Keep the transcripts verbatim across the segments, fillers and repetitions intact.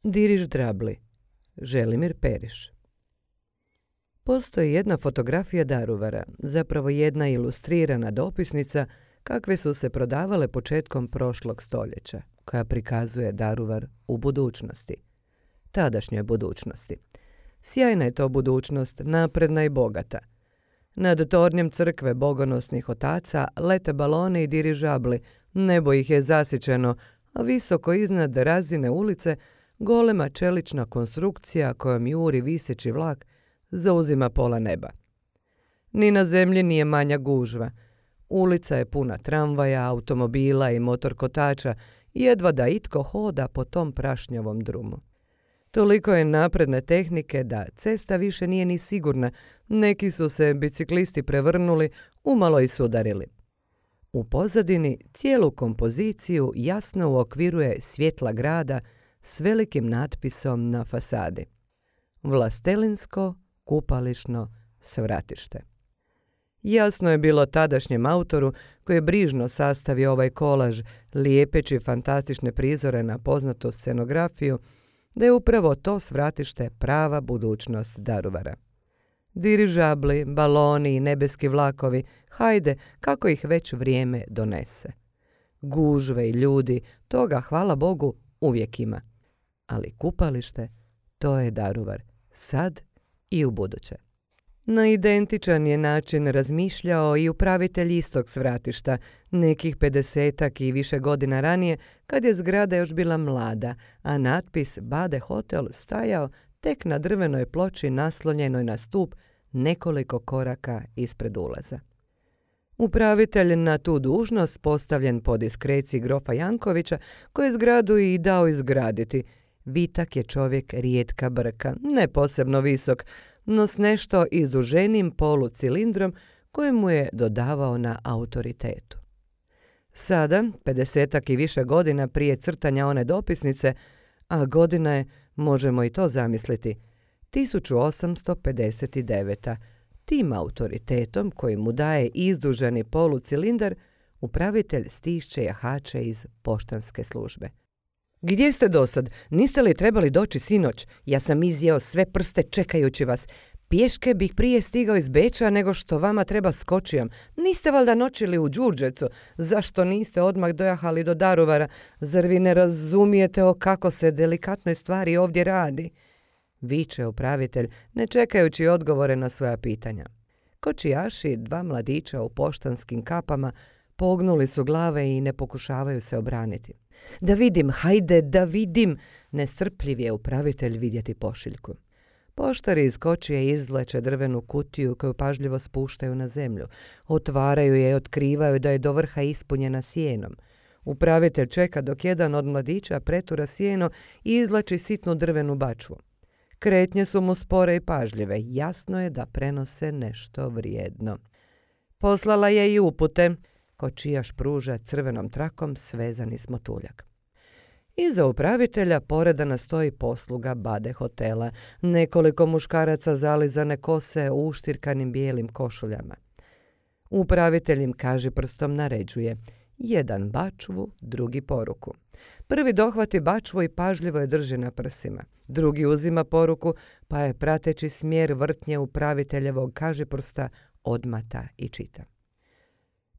Diriždrabli, Želimir Periš. Postoji jedna fotografija Daruvara, zapravo jedna ilustrirana dopisnica kakve su se prodavale početkom prošlog stoljeća, koja prikazuje Daruvar u budućnosti. Tadašnjoj budućnosti. Sjajna je to budućnost, napredna i bogata. Nad tornjem crkve bogonosnih otaca lete baloni i dirižabli, nebo ih je zasićeno, a visoko iznad razine ulice golema čelična konstrukcija kojom juri viseći vlak zauzima pola neba. Ni na zemlji nije manja gužva. Ulica je puna tramvaja, automobila i motorkotača, jedva da itko hoda po tom prašnjavom drumu. Toliko je napredne tehnike da cesta više nije ni sigurna, neki su se biciklisti prevrnuli, umalo i sudarili. U pozadini cijelu kompoziciju jasno uokviruje svjetla grada s velikim natpisom na fasadi. Vlastelinsko kupališno svratište. Jasno je bilo tadašnjem autoru koji je brižno sastavio ovaj kolaž, lijepeći fantastične prizore na poznatu scenografiju, da je upravo to svratište prava budućnost Daruvara. Dirižabli, baloni i nebeski vlakovi, hajde, kako ih već vrijeme donese. Gužve i ljudi, toga, hvala Bogu, uvijek ima. Ali kupalište, to je Daruvar, sad i u buduće. Na identičan je način razmišljao i upravitelj istog svratišta, nekih pedesetak i više godina ranije, kad je zgrada još bila mlada, a natpis Bade Hotel stajao tek na drvenoj ploči naslonjenoj na stup nekoliko koraka ispred ulaza. Upravitelj na tu dužnost, postavljen po diskreciji grofa Jankovića, koji je zgradu i dao izgraditi. Vitak je čovjek rijetka brka, ne posebno visok, no s nešto izduženim polucilindrom koji mu je dodavao na autoritetu. Sada, pedesetak i više godina prije crtanja one dopisnice, a godina je, možemo i to zamisliti, tisuću osamsto pedeset deveta. Tim autoritetom koji mu daje izduženi polucilindar, upravitelj stišće jahače iz poštanske službe. Gdje ste dosad? Niste li trebali doći sinoć? Ja sam izjeo sve prste čekajući vas. Pješke bih prije stigao iz Beča nego što vama treba skočijom. Niste valjda noćili u Đurđevcu? Zašto niste odmah dojahali do Daruvara? Zar vi ne razumijete o kako se delikatnoj stvari ovdje radi? Viče upravitelj, ne čekajući odgovore na svoja pitanja. Kočijaši, dva mladića u poštanskim kapama, pognuli su glave i ne pokušavaju se obraniti. Da vidim, hajde, da vidim! Nestrpljiv je upravitelj vidjeti pošiljku. Poštari iz kočije izvleče drvenu kutiju koju pažljivo spuštaju na zemlju. Otvaraju je i otkrivaju da je do vrha ispunjena sjenom. Upravitelj čeka dok jedan od mladića pretura sjeno i izvlači sitnu drvenu bačvu. Kretnje su mu spore i pažljive. Jasno je da prenose nešto vrijedno. Poslala je i upute. Kočijaš pruža crvenom trakom svezani smotuljak. Iza upravitelja poredana stoji posluga Bade hotela, nekoliko muškaraca zalizane kose u uštirkanim bijelim košuljama. Upravitelj im kaži prstom naređuje. Jedan bačvu, drugi poruku. Prvi dohvati bačvu i pažljivo je drži na prsima. Drugi uzima poruku, pa je prateći smjer vrtnje upraviteljevog kažiprsta odmata i čita.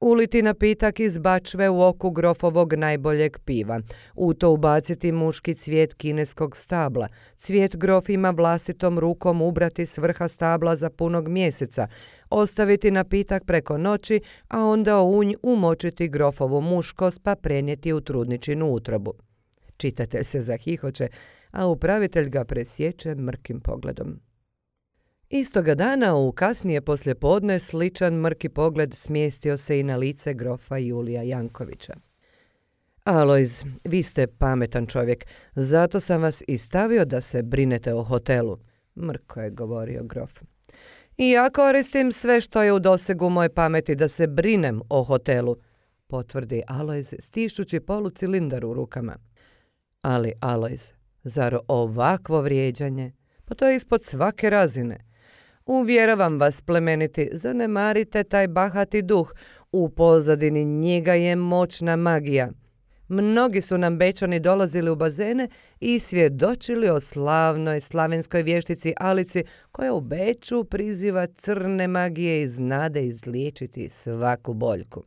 Uliti napitak iz bačve u oku grofovog najboljeg piva. U to ubaciti muški cvijet kineskog stabla. Cvijet grof ima vlastitom rukom ubrati s vrha stabla za punog mjeseca. Ostaviti napitak preko noći, a onda u unj umočiti grofovu muškost pa prenijeti u trudničinu utrobu. Čitatelj se zahihoće, a upravitelj ga presječe mrkim pogledom. Istoga dana, u kasnije poslijepodne, sličan mrki pogled smjestio se i na lice grofa Julija Jankovića. Alojz, vi ste pametan čovjek, zato sam vas i stavio da se brinete o hotelu, mrko je govorio grof. I ja koristim sve što je u dosegu moje pameti da se brinem o hotelu, potvrdi Alojz stišući polucilindar u rukama. Ali Alojz, zar ovakvo vrijeđanje? Pa to je ispod svake razine. Uvjeravam vas, plemeniti, zanemarite taj bahati duh. U pozadini njega je moćna magija. Mnogi su nam Bečani dolazili u bazene i svjedočili o slavnoj slavenskoj vještici Alici koja u Beču priziva crne magije i znade izliječiti svaku boljku.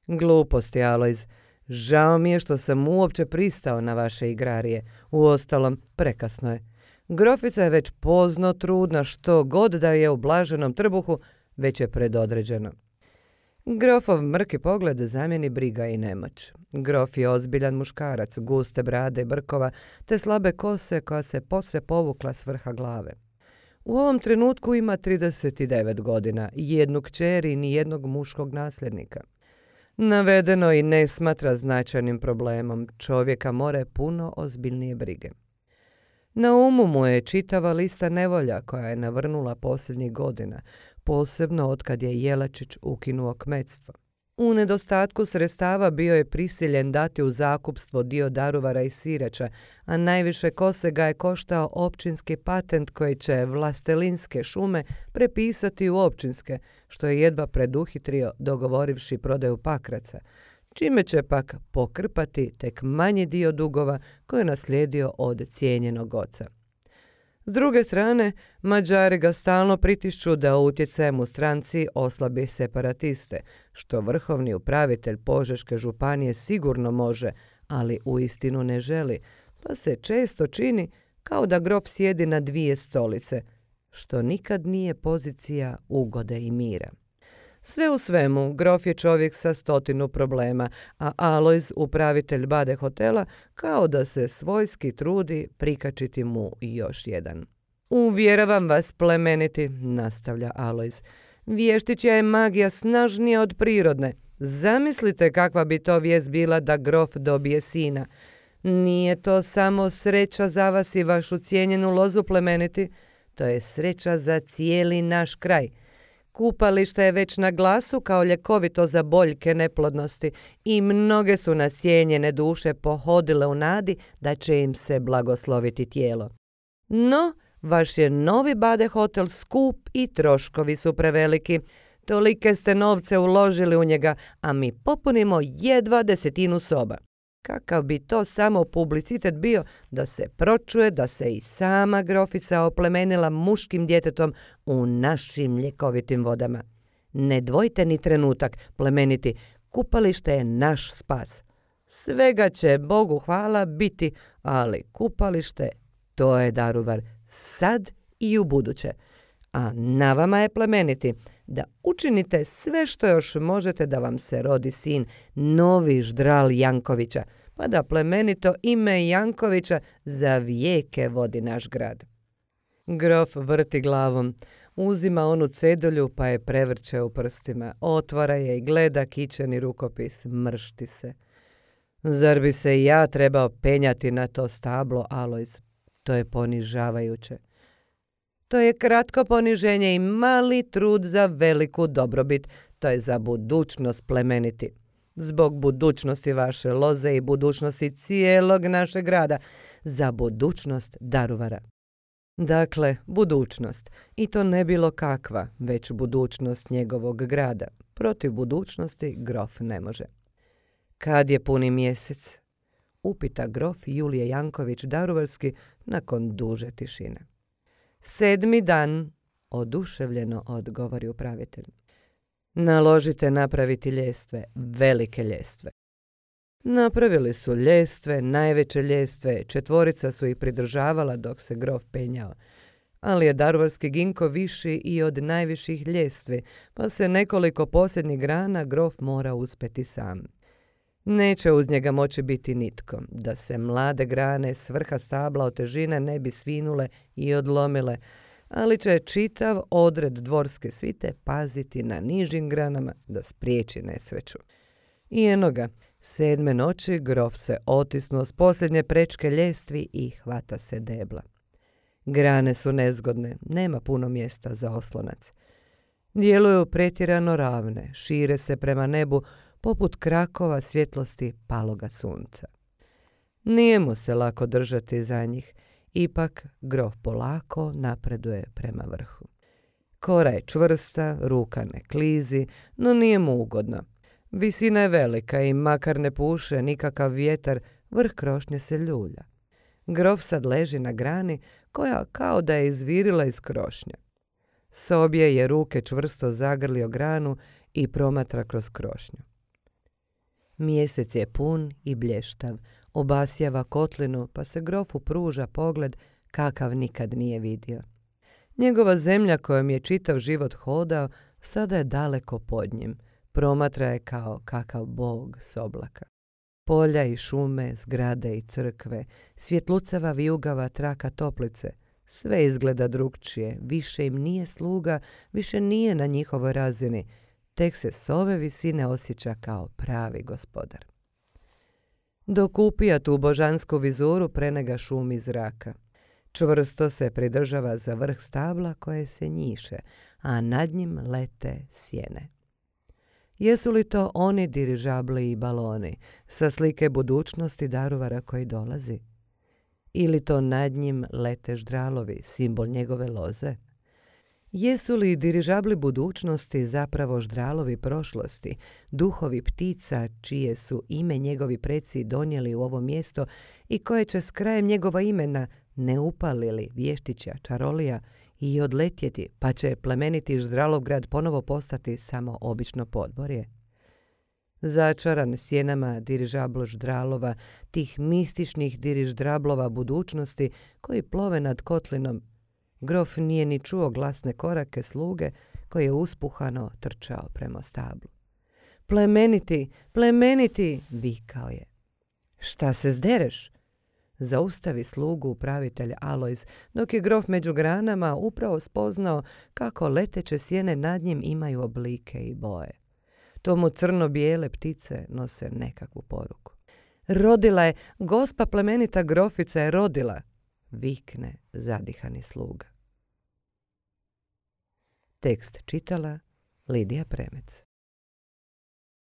Gluposti, Alojz. Žao mi je što sam uopće pristao na vaše igrarije. Uostalom, prekasno je. Grofica je već pozno trudna, što god da je u blaženom trbuhu, već je predodređeno. Grofov mrki pogled zamijeni briga i nemoć. Grof je ozbiljan muškarac, guste brade i brkova, te slabe kose koja se posve povukla s vrha glave. U ovom trenutku ima trideset devet godina, jednu kćer i nijednog muškog nasljednika. Navedeno i ne smatra značajnim problemom, čovjeka more puno ozbiljnije brige. Na umu mu je čitava lista nevolja koja je navrnula posljednjih godina, posebno otkad je Jelačić ukinuo kmetstvo. U nedostatku sredstava bio je prisiljen dati u zakupstvo dio Daruvara i Sirača, a najviše kose ga je koštao općinski patent koji će Vlastelinske šume prepisati u općinske, što je jedva preduhitrio dogovorivši prodaju Pakraca, čime će pak pokrpati tek manji dio dugova koje je naslijedio od cijenjenog oca. S druge strane, Mađari ga stalno pritišću da utjecajem u stranci oslabi separatiste, što vrhovni upravitelj Požeške županije sigurno može, ali uistinu ne želi, pa se često čini kao da grof sjedi na dvije stolice, što nikad nije pozicija ugode i mira. Sve u svemu, grof je čovjek sa stotinu problema, a Alojz, upravitelj Bade hotela, kao da se svojski trudi prikačiti mu još jedan. Uvjeravam vas, plemeniti, nastavlja Alojz, vještićja je magija snažnija od prirodne. Zamislite kakva bi to vijest bila da grof dobije sina. Nije to samo sreća za vas i vašu cijenjenu lozu, plemeniti, to je sreća za cijeli naš kraj. Kupalište je već na glasu kao ljekovito za boljke neplodnosti i mnoge su nasjenjene duše pohodile u nadi da će im se blagosloviti tijelo. No, vaš je novi Bade hotel skup i troškovi su preveliki. Tolike ste novce uložili u njega, a mi popunimo jedva desetinu soba. Kakav bi to samo publicitet bio da se pročuje da se i sama grofica oplemenila muškim djetetom u našim ljekovitim vodama. Ne dvojte ni trenutak, plemeniti, kupalište je naš spas. Svega će, Bogu hvala, biti, ali kupalište, to je Daruvar, sad i u buduće. A na vama je, plemeniti, da učinite sve što još možete da vam se rodi sin, novi ždral Jankovića, pa da plemenito ime Jankovića za vijeke vodi naš grad. Grof vrti glavom, uzima onu cedulju pa je prevrće u prstima, otvara je i gleda kićeni rukopis, mršti se. Zar bi se i ja trebao penjati na to stablo, Alojz? To je ponižavajuće. To je kratko poniženje i mali trud za veliku dobrobit. To je za budućnost, plemeniti. Zbog budućnosti vaše loze i budućnosti cijelog našeg grada. Za budućnost Daruvara. Dakle, budućnost. I to ne bilo kakva, već budućnost njegovog grada. Protiv budućnosti grof ne može. Kad je puni mjesec? Upita grof Julije Janković Daruvarski nakon duže tišine. Sedmi dan, oduševljeno odgovori upravitelj. Naložite napraviti ljestve, velike ljestve. Napravili su ljestve, najveće ljestve, četvorica su ih pridržavala dok se grof penjao. Ali je daruvarski ginko viši i od najviših ljestvi, pa se nekoliko posljednjih grana grof mora uspjeti sam. Neće uz njega moći biti nitko, da se mlade grane s vrha stabla od težine ne bi svinule i odlomile, ali će čitav odred dvorske svite paziti na nižim granama da spriječi nesreću. I eno ga, sedme noći grof se otisnuo s posljednje prečke ljestvi i hvata se debla. Grane su nezgodne, nema puno mjesta za oslonac. Djeluju pretjerano ravne, šire se prema nebu poput krakova svjetlosti paloga sunca. Nije mu se lako držati za njih, ipak grof polako napreduje prema vrhu. Kora je čvrsta, ruka ne klizi, no nije mu ugodno. Visina je velika i makar ne puše nikakav vjetar, vrh krošnje se ljulja. Grof sad leži na grani koja kao da je izvirila iz krošnje. S obje je ruke čvrsto zagrlio granu i promatra kroz krošnju. Mjesec je pun i blještav, obasjava kotlinu pa se grofu pruža pogled kakav nikad nije vidio. Njegova zemlja kojom je čitav život hodao sada je daleko pod njim, promatra je kao kakav bog s oblaka. Polja i šume, zgrade i crkve, svjetlucava vijugava traka toplice, sve izgleda drukčije, više im nije sluga, više nije na njihovoj razini, tek se s ove visine osjeća kao pravi gospodar. Dok upija tu božansku vizuru, prenega šumi zraka. Čvrsto se pridržava za vrh stabla koje se njiše, a nad njim lete sjene. Jesu li to oni dirižabli i baloni sa slike budućnosti daruvara koji dolazi? Ili to nad njim lete ždralovi, simbol njegove loze? Jesu li dirižabli budućnosti zapravo ždralovi prošlosti, duhovi ptica čije su ime njegovi preci donijeli u ovo mjesto i koje će s krajem njegova imena ne upalili vještića, čarolija i odletjeti, pa će plemeniti Ždralovgrad ponovo postati samo obično podborje? Začaran sjenama dirižablo ždralova, tih mističnih diriždrablova budućnosti koji plove nad kotlinom, grof nije ni čuo glasne korake sluge koji je uspuhano trčao prema stablu. Plemeniti, plemeniti, vikao je. Šta se zdereš? Zaustavi slugu upravitelj Alojz, dok je grof među granama upravo spoznao kako leteće sjene nad njim imaju oblike i boje. Tomu crno-bijele ptice nose nekakvu poruku. Rodila je, gospa plemenita grofica je rodila, vikne zadihani sluga. Tekst čitala Lidija Premec.